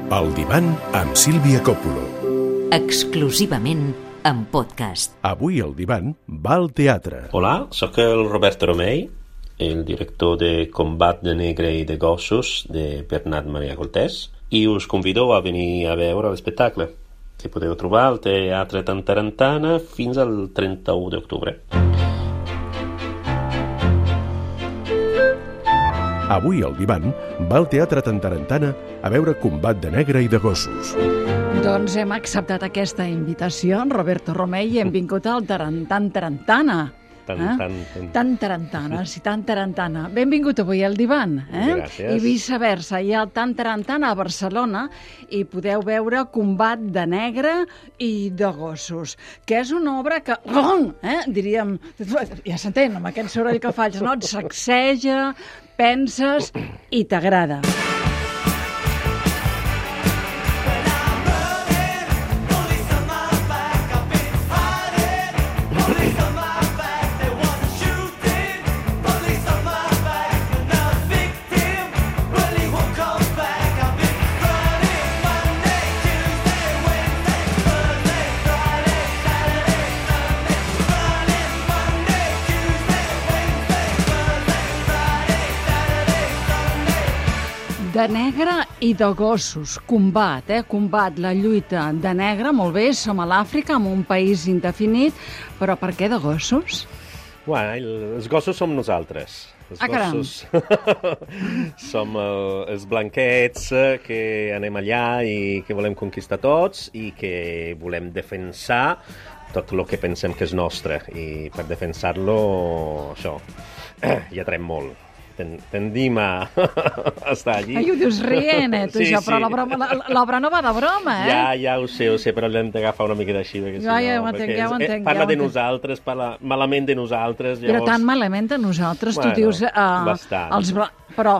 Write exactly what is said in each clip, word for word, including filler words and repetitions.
El divan amb Sílvia Coppola. Exclusivament en podcast. Avui el divan va al teatre. Hola, sóc el Roberto Romei, el director de Combat de Negre i de Gossos de Bernat Maria Cortés, i us convido a venir a veure l'espectacle, que podeu trobar al Teatre Tantarantana fins al trenta-u d'octubre. Avui el divan va al Teatre Tantarantana a veure Combat de Negre i de Gossos. Doncs hem acceptat aquesta invitació, Roberto Romei, i hem vingut al Tarantan Tarantana. Tan, eh? tan, tan. Tantarantana, sí, Tantarantana. Benvingut avui al divan. Eh? Gràcies. I viceversa, hi ha el Tantarantana a Barcelona i podeu veure Combat de Negre i de Gossos, que és una obra que, eh, diríem, ja s'entén, amb aquest soroll que faig, no? Et sacseja, penses i t'agrada. De negre i de gossos, combat, eh? Combat, la lluita de negre, molt bé, som a l'Àfrica, en un país indefinit, però per què de gossos? Bueno, els gossos som nosaltres. Els ah, caram! gossos som uh, els blanquets que anem allà i que volem conquistar tots i que volem defensar tot el que pensem que és nostre. I per defensar-lo, això, ja trem molt. Tendim a estar allí. Ai, ho dius rient, eh, tu, sí, això, sí. però l'obra no va de broma, eh? Ja, ja ho sé, ho sé, però l'hem d'agafar una miqueta així. Perquè, Ja, si ja no, ho entenc, perquè ja ho és- entenc, Parla ja ho de entenc. nosaltres, parla malament de nosaltres. Llavors... Però tan malament de nosaltres, Bueno, tu dius... Uh, bastant. Els bla... Però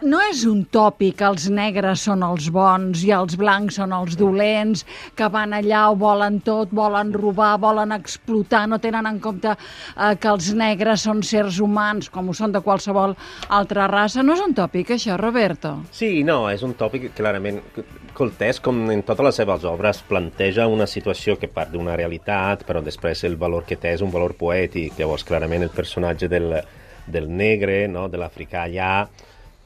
no és un tòpic que els negres són els bons i els blancs són els dolents, que van allà, ho volen tot, volen robar, volen explotar, no tenen en compte uh, que els negres són sers humans, com ho són de qualsevol altra raça. No és un tòpic, això, Roberto? Sí, no, és un tòpic que clarament Cortés, com en totes les seves obres, planteja una situació que part d'una realitat, però després el valor que té és un valor poètic. Llavors, clarament, el personatge del, del negre, no, de l'africà allà,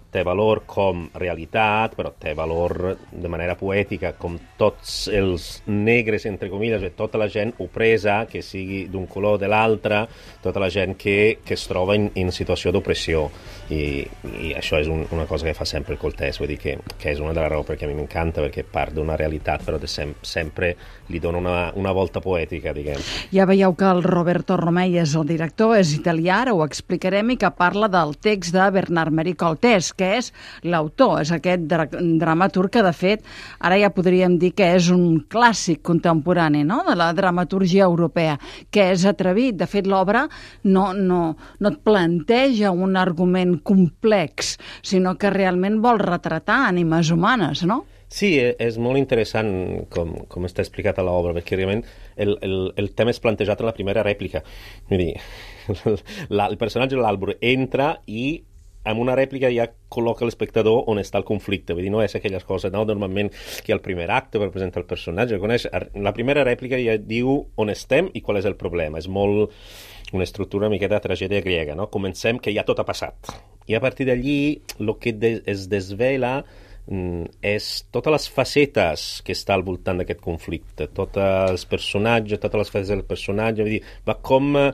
té valor com realitat, però té valor de manera poètica, com tots els negres, entre comilles, tota la gent opresa, que sigui d'un color o de l'altre, tota la gent que, que es troba en, en situació d'opressió. I, i això és un, una cosa que fa sempre el Cortés, vull dir que, que és una de les raons perquè a mi m'encanta, perquè part d'una realitat, però de sem sempre li dona una, una volta poètica, diguem. Ja veieu que el Roberto Romei és el director, és italià, ara ho explicarem, i que parla del text de Bernat Maria Cortés, que és l'autor, és aquest dra dramaturg que, de fet, ara ja podríem dir que és un clàssic contemporani, no?, de la dramaturgia europea, que és atrevit. De fet, l'obra no, no, no et planteja un argument complex, sinó que realment vol retratar ànimes humanes, no? Sí, és molt interessant com, com està explicat a l'obra, perquè realment el, el, el tema és plantejat en la primera rèplica. Vull dir, la, el personatge de l'Àlbor entra i amb una rèplica ja col·loca l'espectador on està el conflicte. Vull dir, no és aquelles coses, no? Normalment que al primer acte per presentar el personatge, coneix, la primera rèplica ja diu on estem i qual és el problema. És molt una estructura una miqueta de tragèdia grega, no? Comencem que ja tot ha passat. I a partir d'allí el que de, es desvela mm, és totes les facetes que està al voltant d'aquest conflicte, tots els personatges, totes les facetes del personatge, vull dir, va com eh,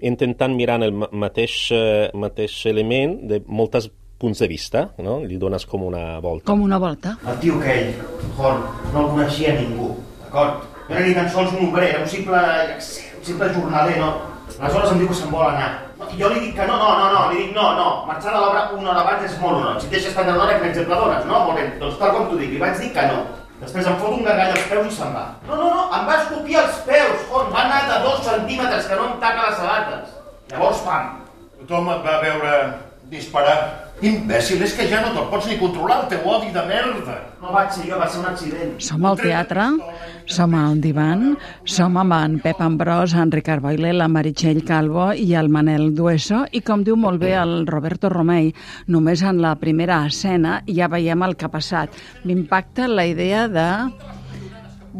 intentant mirar el mateix, eh, mateix element de moltes punts de vista, no? Li dones com una volta. Com una volta. El tio aquell, Horn, no el coneixia ningú, d'acord? No era ni tan sols un obrer, era un simple, un simple jornaler, no? Aleshores em diu que se'n vol anar. I jo li dic que no, no, no, no, li dic no, no, marxar de l'obra una hora abans és molt honor. Si et deixes prendre l'hora, que exemple dones, no? Molt bé, doncs tal com t'ho dic, li vaig dir que no. Després em fot un gargall als peus i se'n va. No, no, no, em va escopir els peus, Horn, va anar de dos centímetres que no em taca les sabates. Llavors, pam. Tothom et va veure disparar. Imbècil, és que ja no te'l pots ni controlar, el teu odi de merda. No vaig ser jo, va ser un accident. Som al teatre, som al divan, som amb en Pep Ambrós, en Ricard Boyle, la Meritxell Calvo i el Manel Dueso, i com diu molt bé el Roberto Romei, només en la primera escena ja veiem el que ha passat. M'impacta la idea de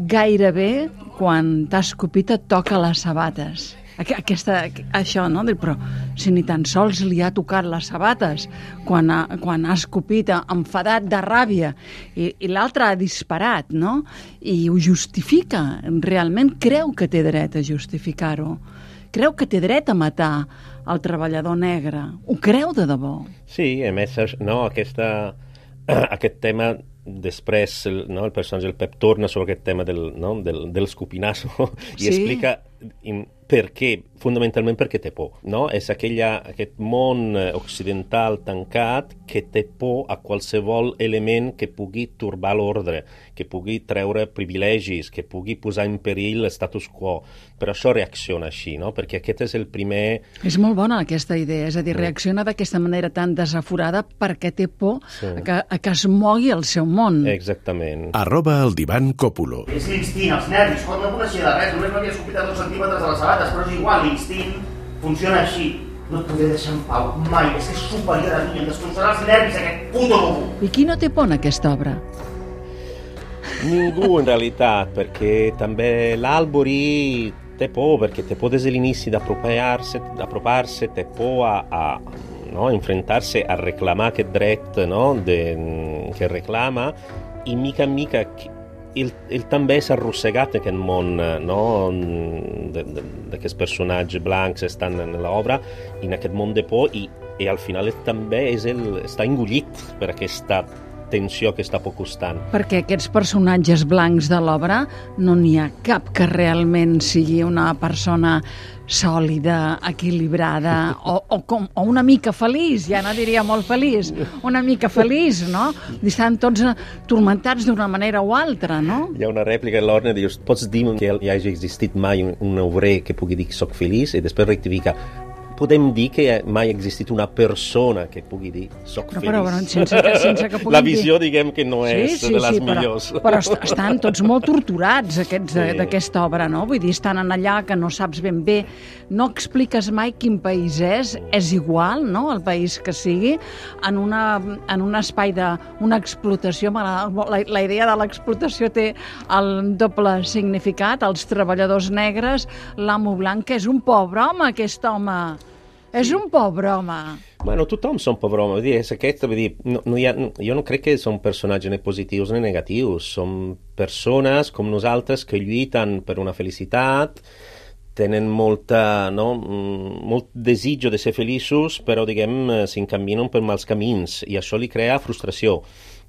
gairebé quan t'ha escopit et toca les sabates. Aquesta, això, no? Però si ni tan sols li ha tocat les sabates quan ha, quan ha escopit enfadat de ràbia i, i l'altre ha disparat, no? I ho justifica, realment creu que té dret a justificar-ho, creu que té dret a matar el treballador negre, ho creu de debò. Sí, a més, no, aquesta, aquest tema després el, no, el personatge del Pep torna sobre aquest tema del, no, del, del scopinazo i sí. explica in, per què, fonamentalment perquè té por, no? És aquella, aquest món occidental tancat que té por a qualsevol element que pugui turbar l'ordre, que pugui treure privilegis, que pugui posar en perill l'status quo. Per això reacciona així, no? Perquè aquest és el primer... És molt bona aquesta idea, és a dir, reacciona d'aquesta manera tan desaforada perquè té por sí. a, que, a que es mogui el seu món. Exactament. Arroba el divan Còpulo. És l'instint, els nervis, quan no coneixia de res, només m'havia escopit a dos centímetres de les sabates, però és igual, l'instint funciona així. No et podré deixar en pau, mai, és que és superior a mi, em destrossarà els nervis aquest puto bobo. I qui no té por en aquesta obra? Ningú, in realitat, perquè també l'Albury té por, perquè té por des de l'inici d'apropar-se, d'apropar-se, té por a, a no, enfrontar-se a reclamar aquest dret, no, de, que reclama, i mica en mica ell, ell també s'ha arrossegat aquest món, no, d'aquests personatges blancs estan en l'obra, en aquest món de por, i, i al final ell també és el, està engullit per aquesta tensió que està por costant. Perquè aquests personatges blancs de l'obra no n'hi ha cap que realment sigui una persona sòlida, equilibrada o, o, com, o una mica feliç, ja no diria molt feliç, una mica feliç, no? Estan tots turmentats d'una manera o altra, no? Hi ha una rèplica de l'Orne, dius, pots dir que hi hagi existit mai un, un obrer que pugui dir que soc feliç i després rectifica. Podem dir que mai ha existit una persona que pugui dir soc feliç. Però, però sense que, sense que la visió, dir... diguem, que no és sí, sí, de les sí, millors. Però, però est estan tots molt torturats, aquests sí. d'aquesta obra, no? Vull dir, estan en allà que no saps ben bé, no expliques mai quin país és, és igual, no?, el país que sigui, en, una, en un espai d'una explotació, la, la idea de l'explotació té el doble significat, els treballadors negres, l'amo blanc, que és un pobre home, aquest home. És un pobre home. Bueno, tothom són pobre home. Vull dir, és aquest, vull dir, no, no hi ha, jo no crec que són personatges ni positius ni negatius. Són persones com nosaltres que lluiten per una felicitat, tenen molta, no, molt desitjo de ser feliços, però, diguem, s'encaminen per mals camins, i això li crea frustració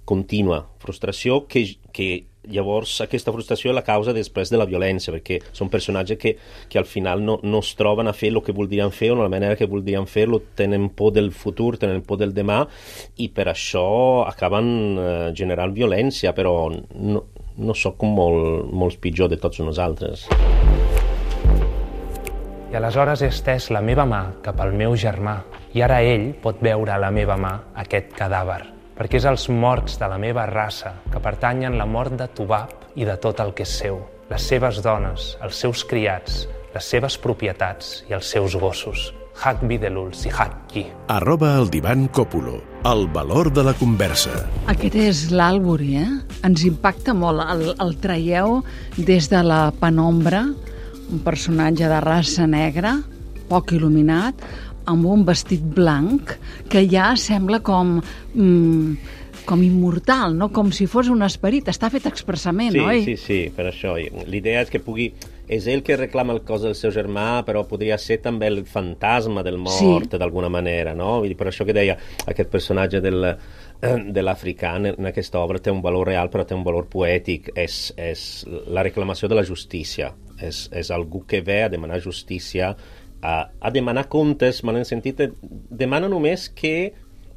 contínua. Frustració que, que llavors aquesta frustració és la causa després de la violència, perquè són personatges que, que al final no, no es troben a fer el que voldrien fer o la manera que voldrien fer-lo, tenen por del futur, tenen por del demà, i per això acaben eh, generant violència, però no, no sóc molt, molt pitjor de tots nosaltres. I aleshores he estès la meva mà cap al meu germà, i ara ell pot veure a la meva mà aquest cadàver, perquè és els morts de la meva raça que pertanyen la mort de Tubab i de tot el que és seu, les seves dones, els seus criats, les seves propietats i els seus gossos. Hac Videlul si hac qui. Arroba el divan Còpulo. El valor de la conversa. Aquest és l'Albury, eh? Ens impacta molt. El, el traieu des de la penombra, un personatge de raça negra, poc il·luminat, amb un vestit blanc que ja sembla com, mm, com immortal, no? Com si fos un esperit. Està fet expressament, sí, oi? Sí, sí, per això. L'idea és que pugui... És ell que reclama el cos del seu germà, però podria ser també el fantasma del mort, sí. d'alguna manera, no? Per això que deia, aquest personatge del, de l'africà en aquesta obra té un valor real, però té un valor poètic. És, és la reclamació de la justícia. És, és algú que ve a demanar justícia, a, a demanar comptes, mal en sentit, demana només que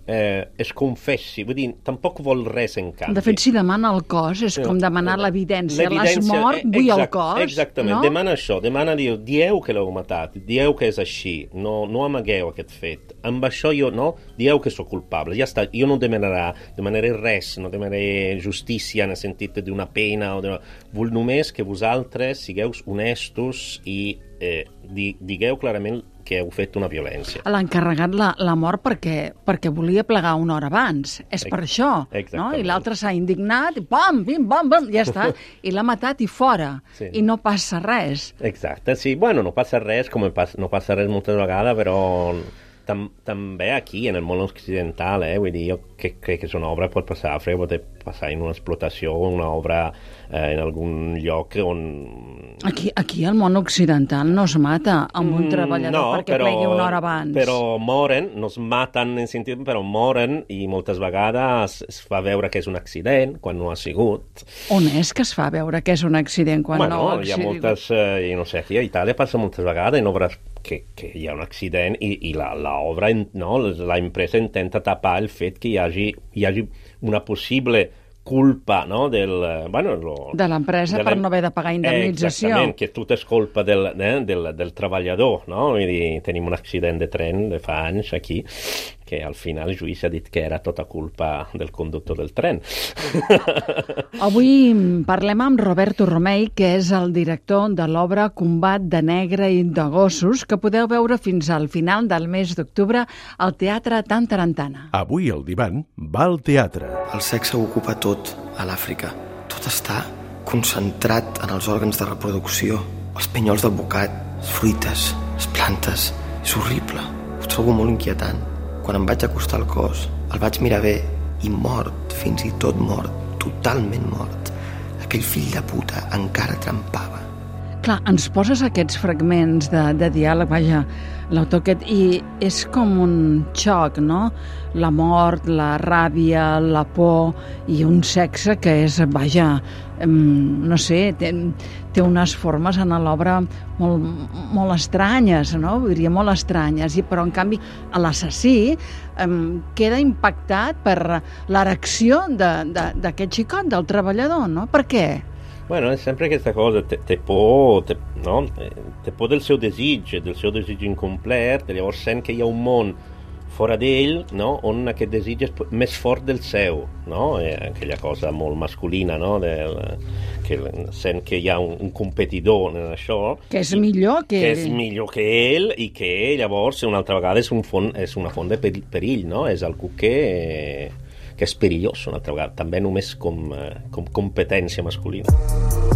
eh, es confessi, vull dir, tampoc vol res en canvi. De fet, si demana el cos, és com demanar l'evidència. L'has mort, vull exact, el cos. Exactament, no? demana això, demana, diu, dieu que l'heu matat, dieu que és així, no, no amagueu aquest fet. Amb això jo, no, dieu que sóc culpable, ja està, jo no demanarà, demanaré res, no demanaré justícia en el sentit d'una pena, o d'una... vull només que vosaltres sigueu honestos i eh, digueu clarament que heu fet una violència. L'ha encarregat la, la mort perquè, perquè volia plegar una hora abans. És per això. No? I l'altre s'ha indignat, i pam, pim, pam, pam, ja està. I l'ha matat i fora. Sí. I no passa res. Exacte, sí. Bueno, no passa res, com no passa res moltes vegades, però tam, també aquí, en el món occidental, eh, vull dir, jo que, crec que és una obra pot passar a fred, pot passar en una explotació, una obra eh, en algun lloc on... Aquí, aquí al món occidental no es mata amb un treballador no, perquè però, plegui una hora abans. Però moren, no es maten en sentit, però moren i moltes vegades es fa veure que és un accident quan no ha sigut. On és que es fa veure que és un accident quan bueno, no ha hi ha sigut? moltes, eh, no sé, aquí a Itàlia passa moltes vegades en obres que, que hi ha un accident i, i la, la obra, no, la empresa intenta tapar el fet que hi hagi, hi hagi una possible culpa, no, del... Bueno, lo, de l'empresa per no haver de pagar indemnització. Exactament, que tot és culpa del, eh, del, del treballador, no? Vull dir, tenim un accident de tren de fa anys aquí, que al final el juís ha dit que era tota culpa del conductor del tren. Avui parlem amb Roberto Romei, que és el director de l'obra Combat de negre i de gossos, que podeu veure fins al final del mes d'octubre al Teatre Tantarantana. Avui el divan va al teatre. El sexe ho ocupa tot a l'Àfrica. Tot està concentrat en els òrgans de reproducció, els pinyols del bocat, les fruites, les plantes. És horrible. Ho trobo molt inquietant. Quan em vaig acostar al cos, el vaig mirar bé i mort, fins i tot mort, totalment mort. Aquell fill de puta encara trampava. Clar, ens poses aquests fragments de, de diàleg, vaja, l'autor aquest, i és com un xoc, no? La mort, la ràbia, la por i un sexe que és, vaja, no sé, té, té unes formes en l'obra molt, molt estranyes, no? Diria molt estranyes, i, però en canvi l'assassí eh, queda impactat per l'erecció d'aquest xicot, del treballador, no? Per què? Bueno, è sempre questa cosa, te, te por, te, no? te por del seu desig, del seu desig incomplet, llavors sent que hi ha un món fora d'ell, no? On aquest desig és més fort del seu, no? Eh, aquella cosa molt masculina, no? Del, que sent que hi ha un, un competidor en això. Que és millor que, que ell. és millor que ell i que llavors una altra vegada és, un font, és una font de perill, no? És algú que... Eh, que és perillós una altra vegada, també només com, com competència masculina.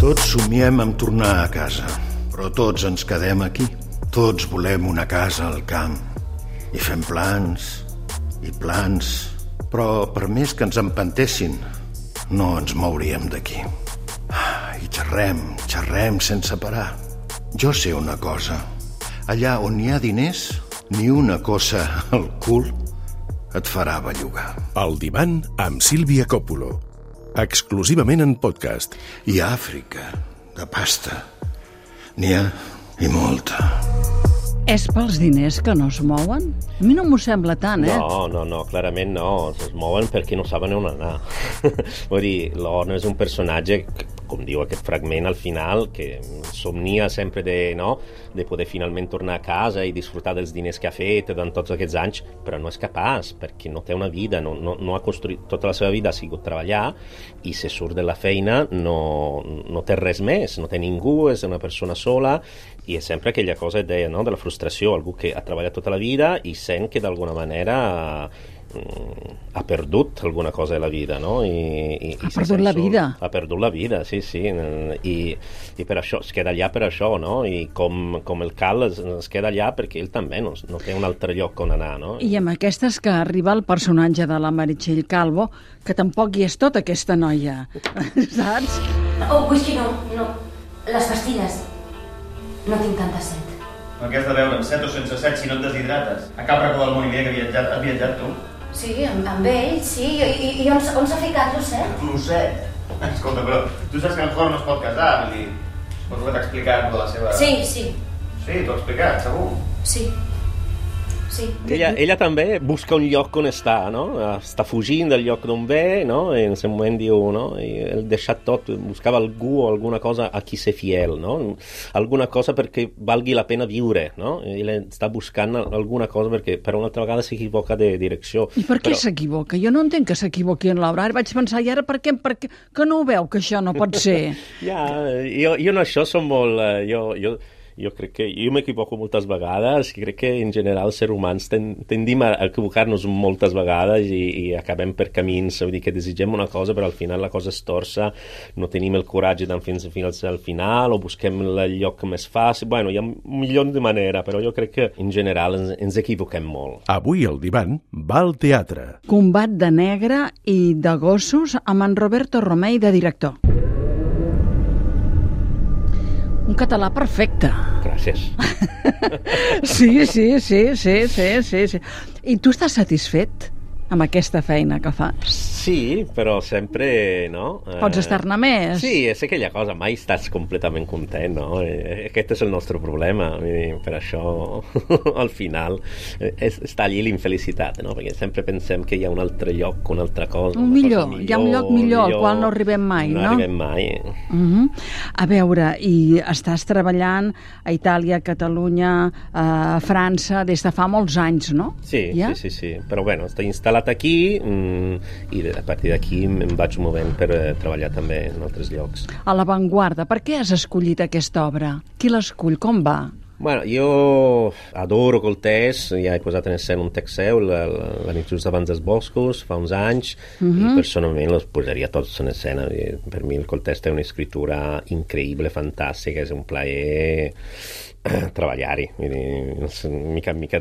Tots somiem amb tornar a casa, però tots ens quedem aquí. Tots volem una casa al camp i fem plans i plans, però per més que ens empantessin, no ens mouríem d'aquí. I xerrem, xerrem sense parar. Jo sé una cosa, allà on hi ha diners, ni una cosa al cul et farà bellugar. El divan amb Sílvia Coppola. Exclusivament en podcast. I a Àfrica, de pasta, n'hi ha i molta. És pels diners que no es mouen? A mi no m'ho sembla tant, eh? No, no, no, clarament no. Es mouen perquè no saben on anar. Vull dir, l'Orno és un personatge, com diu aquest fragment al final, que somnia sempre de, no, de poder finalment tornar a casa i disfrutar dels diners que ha fet durant tots aquests anys, però no és capaç, perquè no té una vida, no, no, no ha construït, tota la seva vida ha sigut treballar, i se surt de la feina no, no té res més, no té ningú, és una persona sola, i és sempre aquella cosa de, no, de la frustració, algú que ha treballat tota la vida i sent que d'alguna manera ha perdut alguna cosa de la vida, no? I, i, ha perdut la vida. Ha perdut la vida, sí, sí. I, i per això, es queda allà per això, no? I com, com el Cal es, es queda allà perquè ell també no, no té un altre lloc on anar, no? I amb aquestes que arriba el personatge de la Meritxell Calvo, que tampoc hi és tota aquesta noia, saps? Oh, whisky no, no. Les pastilles. No tinc tanta set. No, què has de veure, amb set o sense set, si no et deshidrates? A cap racó del món hi havia que viatjat, has viatjat tu? Sí, amb, amb ell, sí. I, i, i on, on s'ha ficat l'Osset? L'Osset? Escolta, però tu saps que en Jorn no es pot casar, vull dir... Suposo que t'ha explicat de la seva... Sí, sí. Sí, t'ho ha explicat, segur? Sí. Sí. Ella, ella també busca un lloc on està, no? Està fugint del lloc d'on ve, no? I en aquest moment diu, no? I ell deixat tot, buscava algú o alguna cosa a qui ser fiel, no? Alguna cosa perquè valgui la pena viure, no? I ell està buscant alguna cosa perquè per una altra vegada s'equivoca de direcció. I per què Però... s'equivoca? Jo no entenc que s'equivoqui en l'obra. Ara vaig pensar, i ara per què? Per què? Que no ho veu, que això no pot ser? Ja, jo, jo en això som molt... Uh, jo, jo, jo crec que... Jo m'equivoco moltes vegades i crec que en general els ser humans ten, tendim a equivocar-nos moltes vegades i, i acabem per camins, vull dir que desitgem una cosa però al final la cosa es torça, no tenim el coratge d'anar fins, fins al final o busquem el lloc més fàcil. Bueno, hi ha un milió de maneres, però jo crec que en general ens, ens equivoquem molt. Avui el divan va al teatre. Combat de negre i de gossos amb en Roberto Romei de director. Un català perfecte. Gràcies. Sí, sí, sí, sí, sí, sí, sí. I tu estàs satisfet amb aquesta feina que fas? Sí, però sempre, no? Pots estar-ne més. Sí, és aquella cosa, mai estàs completament content, no? Aquest és el nostre problema, per això al final és, està allí l'infelicitat, no? Perquè sempre pensem que hi ha un altre lloc, una altra cosa. Un millor, millor, hi ha un lloc millor, millor al qual no arribem mai, no? No arribem mai. Uh-huh. A veure, i estàs treballant a Itàlia, a Catalunya, a França, des de fa molts anys, no? Sí, ja? sí, sí, sí, però bueno, està instal·lat aquí mm, i a partir d'aquí em vaig movent per eh, treballar també en altres llocs. A l'avantguarda, per què has escollit aquesta obra? Qui l'escull? Com va? Bueno, jo adoro Coltès, ja he posat en escena un text seu, la, la, la nit just abans dels boscos, fa uns anys, uh-huh. i personalment els posaria tots en escena. Per mi el Coltès té una escritura increïble, fantàstica, és un plaer treballar-hi. Mica en mica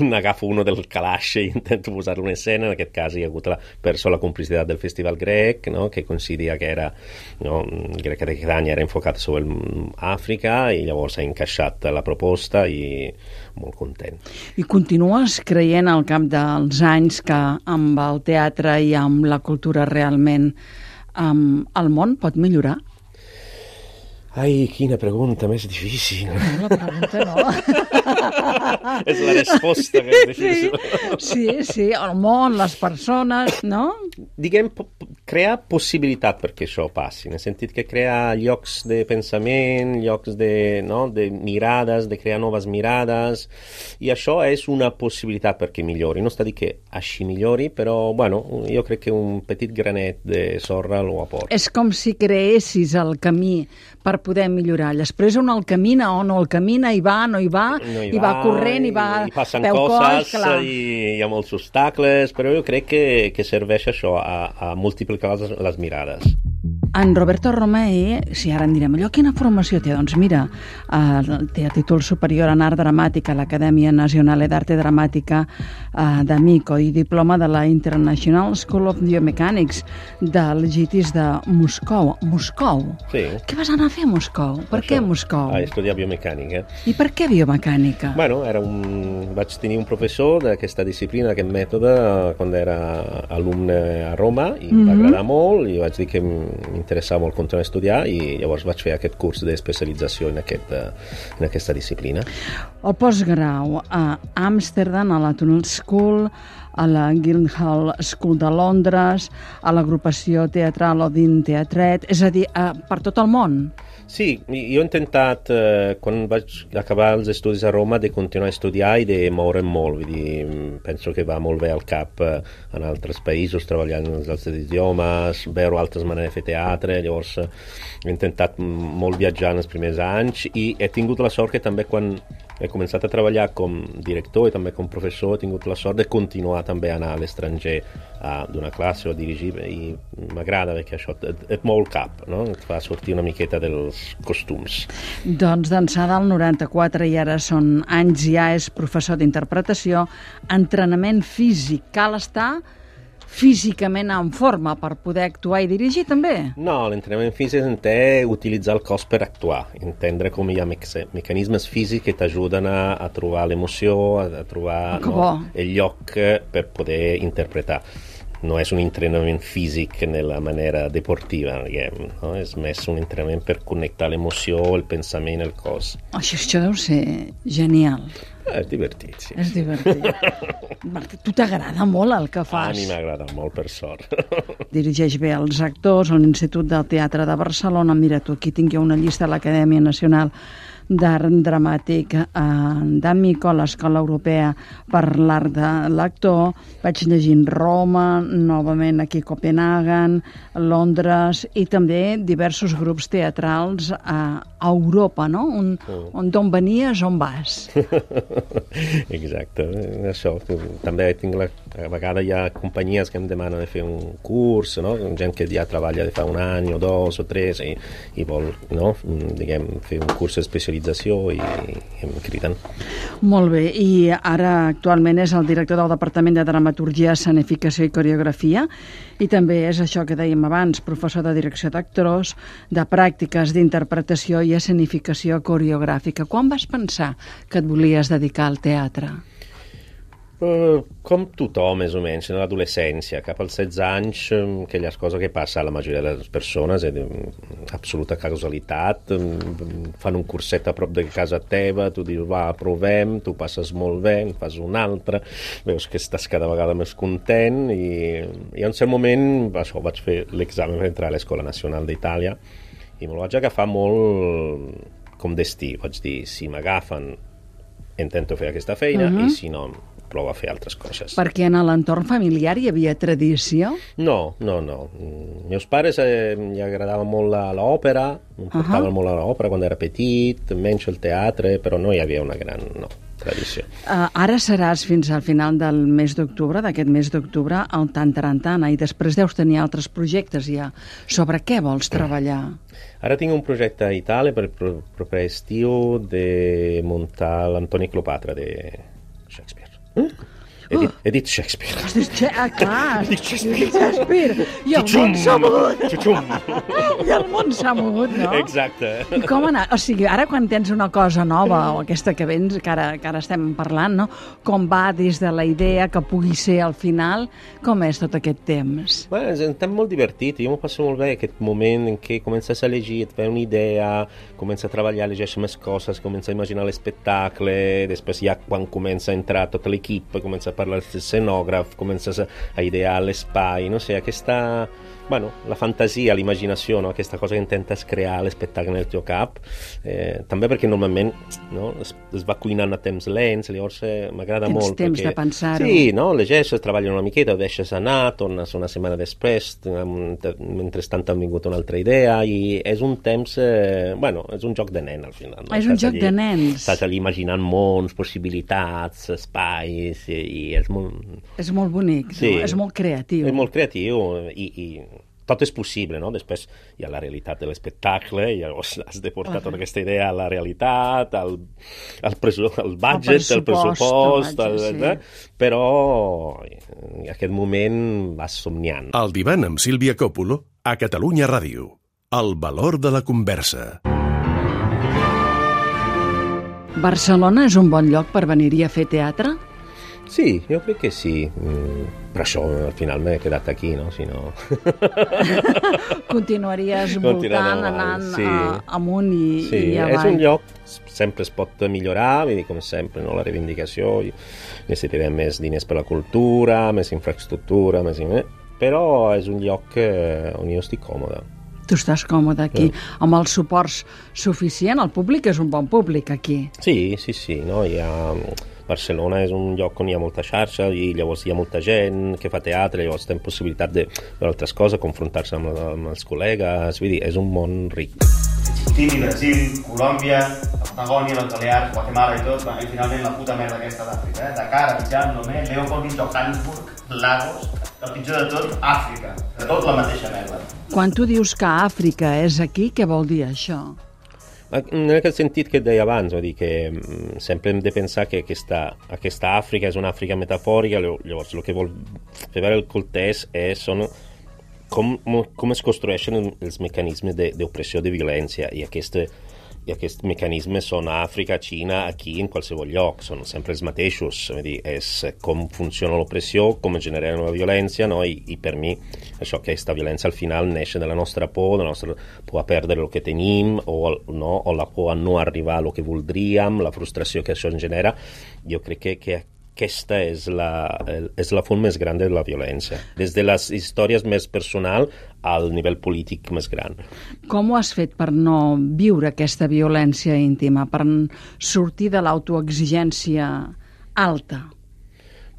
n'agafo uno del calaix i intento posar-lo en escena. En aquest cas hi ha hagut la, per so la complicitat del Festival Grec, no? Que coincidia que era, no? Crec que aquest any era enfocat sobre Àfrica i llavors ha encaixat la proposta i molt content. I continues creient al cap dels anys que amb el teatre i amb la cultura realment um, el món pot millorar? Ai, quina pregunta més difícil. No, la pregunta no. És la resposta que és difícil. Sí, sí, sí, el món, les persones, no? Diguem, crear possibilitat perquè això passi, en el sentit que crear llocs de pensament, llocs de, no, de mirades, de crear noves mirades, i això és una possibilitat perquè millori. No està dir que així millori, però, bueno, jo crec que un petit granet de sorra lo aporta. És com si creessis el camí per poder millorar. Després on el camina o no el camina, hi va, no hi va, no hi i va, va corrent, i va i passen peu coses, coll, i hi ha molts obstacles, però jo crec que, que serveix això a, a multiplicar les, les mirades. En Roberto Romei, si ara en direm allò, quina formació té? Doncs mira, eh, té a títol superior en art dramàtic a l'Acadèmia Nazionale d'Arte Dramàtica eh, d'Amico i diploma de la International School of Biomechanics del GITIS de Moscou. Moscou? Sí. Què vas anar a fer a Moscou? Per això, què Moscou? A estudiar biomecànica. I per què biomecànica? Bueno, era un... vaig tenir un professor d'aquesta disciplina, d'aquest mètode, quan era alumne a Roma, i em va Mhm. agradar molt, i vaig dir que m'interessava molt continuar a estudiar, i llavors vaig fer aquest curs d'especialització en, aquest, en aquesta disciplina. El postgrau a Amsterdam, a la Tunnel School, a la Guildhall School de Londres, a l'agrupació teatral Odin Teatret, és a dir, a, per tot el món. Sí, jo he intentat, eh, quan vaig acabar els estudis a Roma, de continuar a estudiar i de moure'm molt. Vull dir, penso que va molt bé al cap eh, en altres països, treballant en els altres idiomes, veure altres maneres de fer teatre. Llavors eh, he intentat molt viatjar en els primers anys i he tingut la sort que també quan he començat a treballar com director i també com professor he tingut la sort de continuar també a anar a l'estranger a donar classe o a dirigir, i m'agrada perquè això et, et mou el cap, no? Et fa sortir una miqueta dels costums. Doncs d'ençà del noranta-quatre i ara són anys ja, és professor d'interpretació, entrenament físic. Cal estar físicament en forma per poder actuar i dirigir també? No, l'entrenament físic entén utilitzar el cos per actuar, entendre com hi ha mecanismes físics que t'ajuden a, a trobar l'emoció, a, a trobar oh, no, el lloc per poder interpretar. No és un entrenament físic en la manera deportiva, diguem, no? És més un entrenament per connectar l'emoció, el pensament, el cos. Això, això deu ser genial. Eh, és divertit, sí. És divertit. Martí, tu t'agrada molt el que fas. A mi m'agrada molt, per sort. Dirigeix bé els actors a l'Institut del Teatre de Barcelona. Mira tu, aquí tinc jo una llista de l'Acadèmia Nacional d'Art Dramàtic eh, d'Amico, l'Escola Europea per l'Art de l'Actor. Vaig llegint Roma, novament aquí Copenhagen, Londres i també diversos grups teatrals a Europa, no? On, on d'on venies, on vas? Exacte, això. També tinc la, a vegades hi ha companyies que em demanen de fer un curs, no? Gent que ja treballa de fa un any o dos o tres i, i vol, no? Diguem, fer un curs especialitzat i, i em criden. Molt bé, i ara actualment és el director del Departament de Dramaturgia, Escenificació i Coreografia i també és això que dèiem abans, professor de direcció d'actors, de pràctiques d'interpretació i escenificació coreogràfica. Quan vas pensar que et volies dedicar al teatre? Uh, com tothom, més o menys, en l'adolescència, cap als setze anys, aquelles coses que passa a la majoria de les persones, és absoluta casualitat, fan un curset a prop de casa teva, tu dius, va, provem, tu passes molt bé, en fas un altre, veus que estàs cada vegada més content, i, i en cert moment, això, vaig fer l'examen per entrar a l'Escola Nacional d'Itàlia, i me'l vaig agafar molt com destí, vaig dir, si m'agafen, intento fer aquesta feina, uh-huh. i si no, provo a fer altres coses. Perquè en l'entorn familiar hi havia tradició? No, no, no. Meus pares eh, li agradava molt l'òpera, em portaven uh-huh. molt a l'òpera quan era petit, menys el teatre, però no hi havia una gran no, tradició. Uh, ara seràs fins al final del mes d'octubre, d'aquest mes d'octubre, al Tantarantana, i després deus tenir altres projectes ja. Sobre què vols treballar? Ara tinc un projecte a Itàlia per el proper estiu de muntar l'Antoni Cleopatra de Shakespeare. Mm? He, dit, he dit Shakespeare. Has dit Shakespeare? Ah, clar. He dit Shakespeare. I el món s'ha mogut. I el món s'ha mogut, no? Exacte. I com anar? O sigui, ara quan tens una cosa nova, o aquesta que vens, que ara, que ara estem parlant, no? Com va des de la idea que pugui ser al final? Com és tot aquest temps? Bueno, és un temps molt divertit. Jo m'ho passo molt bé, aquest moment en què comences a llegir, et ve una idea, comences a treballar, llegeixes més coses, comences a imaginar l'espectacle, després ja quan comença a entrar tot l'equip, comença a parlar l'escenògraf, comences a, a idear l'espai, no sé, aquesta, bueno, la fantasia, l'imaginació, no? Aquesta cosa que intentes crear l'espectacle en el teu cap, eh, també perquè normalment no? es, es va cuinant a temps lents, llavors eh, m'agrada molt. Tens temps perquè, de pensar-ho. Sí, no? Llegeixes, treballes una miqueta, ho deixes anar, tornes una setmana després, mentrestant t'ha vingut una altra idea, i és un temps, eh, bueno, és un joc de nen al final. No? És un joc allí, de nens. Estàs allà imaginant mons, possibilitats, espais, i, i és molt... És molt bonic, sí, no? És molt creatiu. És molt creatiu, i, i tot és possible, no? Després hi ha la realitat de l'espectacle, i llavors has de portar tota aquesta idea a la realitat, al, al, presu, al budget, al pressupost, al, sí. eh? Però en aquest moment vas somniant. El divan amb Sílvia Còpolo a Catalunya Ràdio. El valor de la conversa. Barcelona és un bon lloc per venir-hi a fer teatre? Sí, jo crec que sí. Mm, per això al final m'he quedat aquí, no? Si no... Continuaries voltant, anant sí. a, amunt i, sí, i avall. És un lloc, sempre es pot millorar, vull dir, com sempre, no? La reivindicació, necessitarem més diners per la cultura, més infraestructura, més... però és un lloc on jo estic còmode. Tu estàs còmode aquí, sí. Amb els suports suficient, el públic és un bon públic aquí. Sí, sí, sí, no? Hi ha... Barcelona és un lloc on hi ha molta xarxa i llavors hi ha molta gent que fa teatre, llavors té possibilitat de veure altres coses, confrontar-se amb, amb els col·legues, vull dir, és un món ric. Argentina, Brasil, Colòmbia, la Patagònia, les Balears, Guatemala i tot, i finalment la puta merda aquesta d'Àfrica, eh? Dakar, Abidjan, Lomé, Leopold, Johannesburg, Lagos, el pitjor de tot, Àfrica, de tot la mateixa merda. Quan tu dius que Àfrica és aquí, què vol dir això? En aquest sentit que et deia abans, vull dir que sempre hem de pensar que aquesta, aquesta Àfrica és una Àfrica metafòrica, llavors el que vol fer veure el Cortés és són com, com es construeixen els mecanismes d'opressió, de violència, i aquesta i aquests mecanismes són a Àfrica, a Xina, aquí, en qualsevol lloc, són sempre els mateixos. Vull dir, és com funciona l'opressió, com es genera la violència, no? I, i per mi això, aquesta violència al final neix de la nostra por, de la nostra por a perdre el que tenim, o, no? o la por a no arribar a el que voldríem, la frustració que això ens genera. Jo crec que, que aquesta és la, és la font més gran de la violència, des de les històries més personal al nivell polític més gran. Com ho has fet per no viure aquesta violència íntima, per sortir de l'autoexigència alta?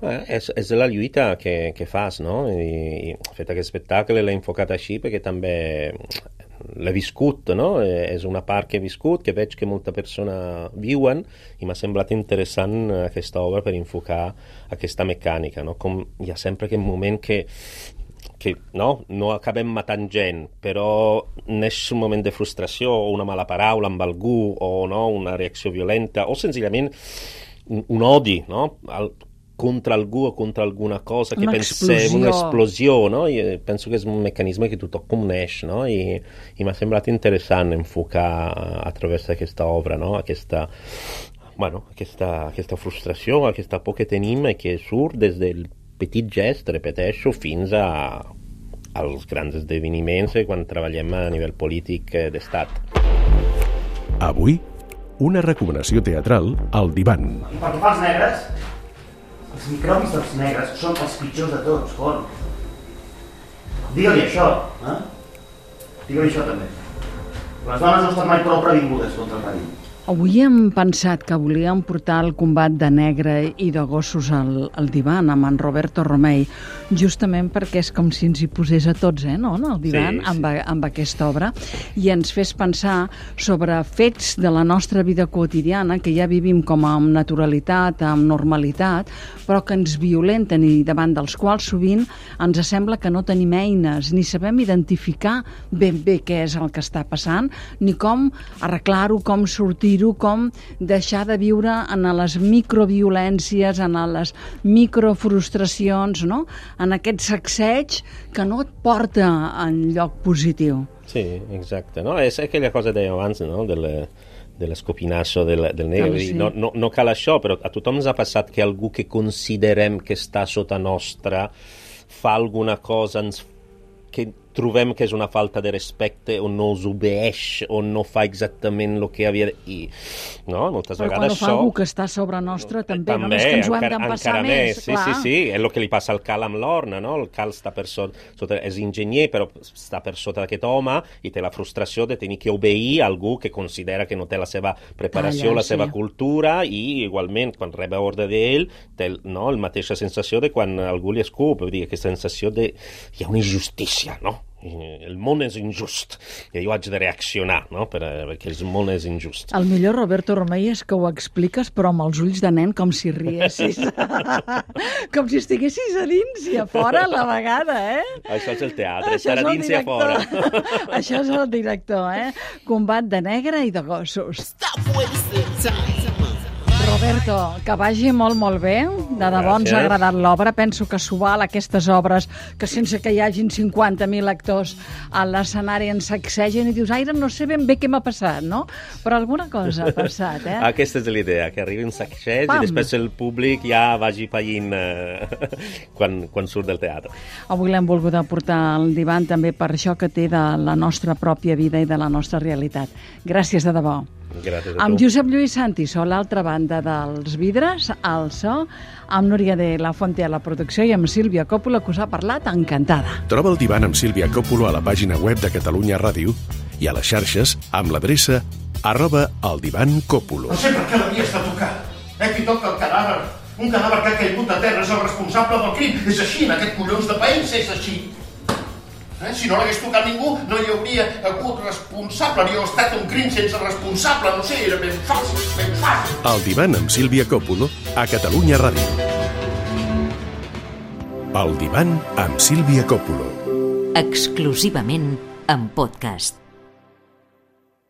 Eh, és, és la lluita que, que fas, no? I, i fet aquest espectacle l'he enfocat així perquè també l'he viscut, no? És una part que he viscut, que veig que molta persona viuen, i m'ha semblat interessant aquesta obra per enfocar aquesta mecànica, no? Com hi ha sempre aquest moment que que no, no acabem matant gent, però neix un moment de frustració o una mala paraula amb algú o no, una reacció violenta o senzillament un, un odi, no? Al, contra algú o contra alguna cosa que una pensem, explosió. una explosió, no? I penso que és un mecanisme que tothom coneix, no? I, i m'ha semblat interessant enfocar a través d'aquesta obra, no? Aquesta, bueno, aquesta, aquesta frustració, aquesta por que tenim i que surt des del petit gest, repeteixo, fins a, als grans esdeveniments quan treballem a nivell polític d'estat. Avui, una recomanació teatral al divan. I pel que fa als negres, els microbis dels negres són els pitjors de tots, con. Digue-li això, eh? Digue-li això també. Les dones no estan mai prou previngudes contra el perill. Avui hem pensat que volíem portar el combat de negre i de gossos al, al divan amb en Roberto Romei, justament perquè és com si ens hi posés a tots, eh, no?, al divan, sí, sí. Amb, amb aquesta obra, i ens fes pensar sobre fets de la nostra vida quotidiana que ja vivim com amb naturalitat, amb normalitat, però que ens violenten i davant dels quals sovint ens sembla que no tenim eines, ni sabem identificar ben bé què és el que està passant, ni com arreglar-ho, com sortir com deixar de viure en les microviolències, en les microfrustracions, no? En aquest sacseig que no et porta en lloc positiu. Sí, exacte. No? És aquella cosa que dèiem abans, no? De la... de l'escopinasso del, del negre. Ah, sí. no, no, no cal això, però a tothom ens ha passat que algú que considerem que està sota nostra fa alguna cosa ens, que trobem que és una falta de respecte o no us obeeix o no fa exactament el que havia de... I, no? Moltes però vegades quan ho fa això... algú que està sobre nostre també, també només que ens ho hem encara, d'empassar encara més, més. Sí, clar. sí, sí, és el que li passa al Cal amb l'Orna, no? El Cal està per sota, sota, és enginyer, però està per sota d'aquest home i té la frustració de tenir que obeir a algú que considera que no té la seva preparació, Talla, la seva sí. cultura, i igualment, quan rep ordre d'ell, té no? la mateixa sensació de quan algú li escup, vull dir, aquesta sensació de... Hi ha una injustícia, no? El món és injust i jo haig de reaccionar, no? Per, perquè el món és injust. El millor, Roberto Romei, és que ho expliques però amb els ulls de nen, com si riessis com si estiguessis a dins i a fora a la vegada, eh? Això és el teatre, Això estar a dins i a fora. Això és el director, eh? Combat de negre i de gossos. Roberto, que vagi molt, molt bé. De debò ens ha agradat l'obra. Penso que s'ho val, aquestes obres, que sense que hi hagin cinquanta mil actors a l'escenari ens sacsegen i dius, aire, no sé ben bé què m'ha passat, no? Però alguna cosa ha passat, eh? Aquesta és l'idea, que arribi un sacseig Pam. i després el públic ja vagi pallint eh, quan, quan surt del teatre. Avui l'hem volgut aportar al divan també per això que té de la nostra pròpia vida i de la nostra realitat. Gràcies de debò. Gràcies a Amb tu. Josep Lluís Santi, a l'altra banda dels vidres, al so, amb Núria de la Fonte a la producció i amb Sílvia Coppola, que us ha parlat encantada. Troba el divan amb Sílvia Coppola a la pàgina web de Catalunya Ràdio i a les xarxes amb l'adreça arroba el divan Coppola. No sé per què l'havies de tocar. Eh, qui toca el cadàver? Un cadàver que ha caigut a terra és el responsable del crim. És així, en aquest collons de país és així. Eh? Si no l'hagués tocat ningú, no hi hauria hagut responsable, hauria estat un crim sense responsable, no sé, era ben fàcil, ben fàcil. El divan amb Sílvia Coppola a Catalunya Ràdio. El divan amb Sílvia Coppola. Exclusivament en podcast.